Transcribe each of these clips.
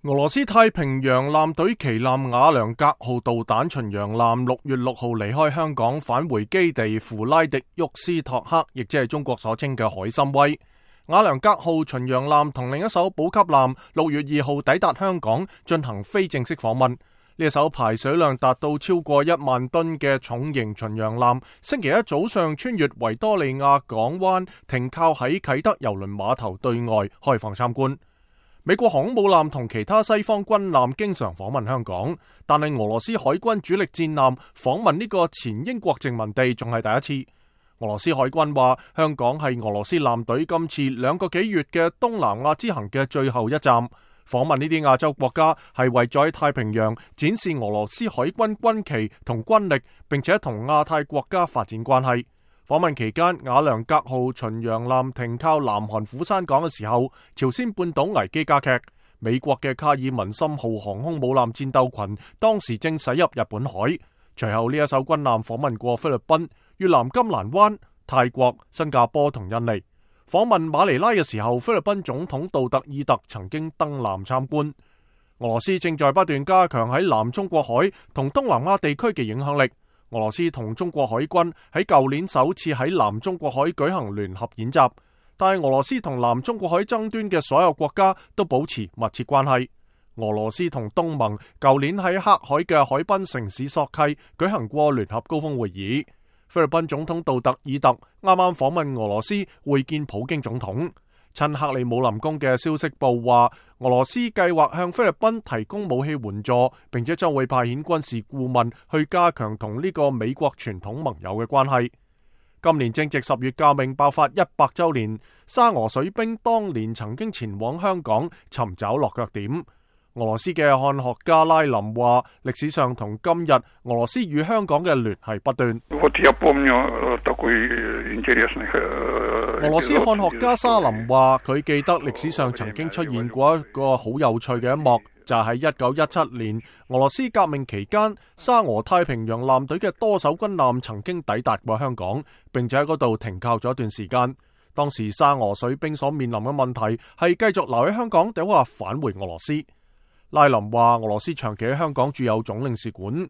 俄羅斯太平洋艦隊旗艦瓦良格號導彈巡洋艦6月6號離開香港返回基地弗拉迪沃斯托克，亦即係中國所稱嘅海參崴。瓦良格號巡洋艦同另一艘補給艦6月2號抵達香港進行非正式訪問。呢一艘排水量達到超過1萬噸嘅重型巡洋艦，星期一早上穿越維多利亞港灣，停靠喺啟德郵輪碼頭對外，開放參觀。美國航空母艦同其他西方軍艦經常訪問香港，但係俄羅斯海軍主力戰艦訪問呢個前英國殖民地仲係第一次。俄羅斯海軍話，香港係俄羅斯艦隊今次2個幾月嘅東南亞之行嘅最後一站。訪問呢啲亞洲國家係為咗喺太平洋展示俄羅斯海軍軍旗同軍力，並且同亞太國家發展關係。訪問期間，瓦良格號巡洋艦停靠南韓釜山港嘅時候，朝鮮半島危機加劇。美國嘅卡爾文森號航空母艦戰鬥群當時正駛入日本海。隨後呢一艘軍艦訪問過菲律賓、越南金蘭灣、泰國、新加坡同印尼。訪問馬尼拉嘅時候，菲律賓總統杜特爾特曾經登艦參觀。俄羅斯正在不斷加強喺南中國海同東南亞地區嘅影響力。俄羅斯同中國海軍喺舊年首次喺南中國海舉行聯合演習，但係俄羅斯同南中國海爭端嘅所有國家都保持密切關係。俄羅斯同東盟舊年喺黑海嘅海濱城市索契舉行過聯合高峰會議。菲律賓總統杜特爾特啱啱訪問俄羅斯會見普京總統。趁克里姆林宮嘅消息報話，俄羅斯計劃向菲律賓提供武器援助，並且將會派遣軍事顧問去加強同呢個美國傳統盟友嘅關係。今年正值10月革命爆發100週年，沙俄水兵當年曾經前往香港尋找落腳點。俄羅斯嘅漢學家拉林話，歷史上同今日俄羅斯與香港嘅聯繫不斷。俄羅斯漢學家沙林話，佢記得歷史上曾經出現過一個好有趣嘅一幕，就係喺1917年俄羅斯革命期間，沙俄太平洋艦隊嘅多艘軍艦曾經抵達過香港，並且喺嗰度停靠咗一段時間。當時沙俄水兵所面臨嘅問題係繼續留喺香港，定話返回俄羅斯。拉林話，俄羅斯長期喺香港駐有總領事館，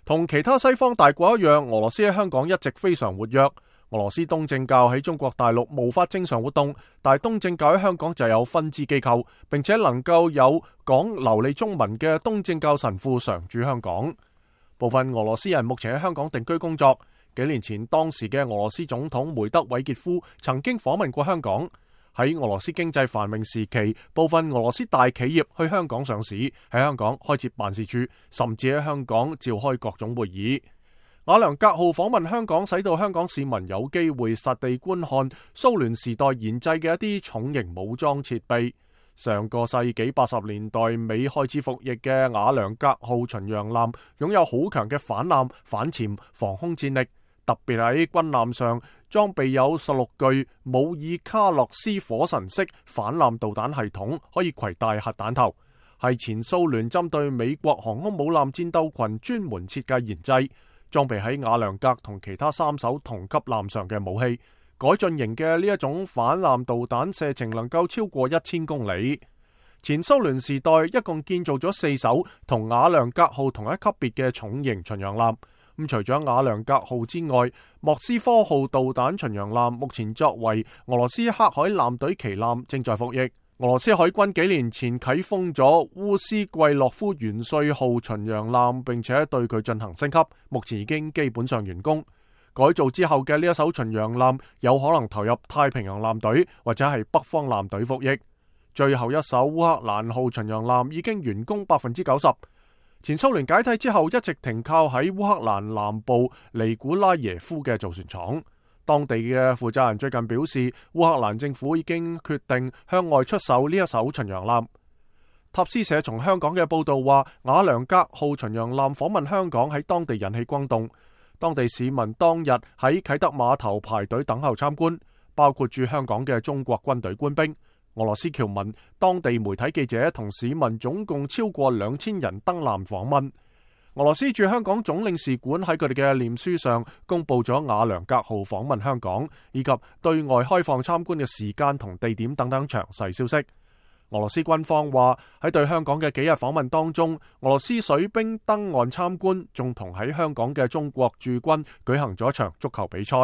同其他西方大國一樣，俄羅斯喺香港一直非常活躍。俄羅斯東正教喺中國大陸無法正常活動，但係東正教喺香港就有分支機構，並且能夠有講流利中文嘅東正教神父常駐香港。部分俄羅斯人目前喺香港定居工作。幾年前，當時嘅俄羅斯總統梅德韋傑夫曾經訪問過香港。喺俄羅斯經濟繁榮時期，部分俄羅斯大企業去香港上市，喺香港開設辦事處，甚至喺香港召開各種會議。瓦良格號訪問香港，使到香港市民有機會實地觀看蘇聯時代研製嘅一啲重型武裝設備。上個世紀80年代美開始服役嘅瓦良格號巡洋艦擁有好強嘅反艦、反潛、防空戰力，特別喺軍艦上裝備有16具姆爾卡洛斯火神式反艦導彈系統，可以攜帶核彈頭，係前蘇聯針對美國航空母艦戰鬥群專門設計研製，裝備喺瓦良格同其他3艘同級艦上嘅武器。改進型嘅呢一種反艦導彈射程能夠超過1000公里。前蘇聯時代一共建造咗4艘同瓦良格號同一級別嘅重型巡洋艦。咁除咗瓦良格號之外，莫斯科號導彈巡洋艦目前作為俄羅斯黑海艦隊旗艦正在服役。俄羅斯海軍幾年前啟封咗烏斯季洛夫元帥號巡洋艦，並且對佢進行升級，目前已經基本上完工。改造之後嘅呢一艘巡洋艦有可能投入太平洋艦隊或者係北方艦隊服役。最後一艘烏克蘭號巡洋艦已經完工90%。前蘇聯解體之後，一直停靠喺烏克蘭南部尼古拉耶夫嘅造船廠。當地嘅負責人最近表示，烏克蘭政府已經決定向外出售呢一艘巡洋艦。塔斯社從香港嘅報道話，瓦良格號巡洋艦訪問香港喺當地引起轟動。當地市民當日喺啟德碼頭排隊等候參觀，包括駐香港嘅中國軍隊官兵、俄羅斯僑民、當地媒體記者同市民，總共超過2000人登艦訪問。俄羅斯駐香港總領事館喺佢哋嘅臉書上公布咗瓦良格號訪問香港以及對外開放參觀嘅時間同地點等等詳細消息。俄羅斯軍方話喺對香港嘅幾日訪問當中，俄羅斯水兵登岸參觀，仲同喺香港嘅中國駐軍舉行咗一場足球比賽。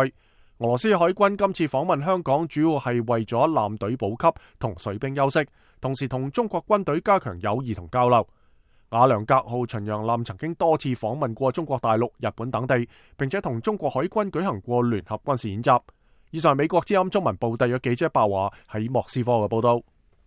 俄羅斯海軍今次訪問香港，主要係為咗艦隊補給同水兵休息，同時同中國軍隊加強友誼同交流。瓦良格號巡洋艦曾經多次訪問過中國大陸、日本等地，並且同中國海軍舉行過聯合軍事演習。以上係美國之音中文部特約記者鮑華喺莫斯科嘅報道。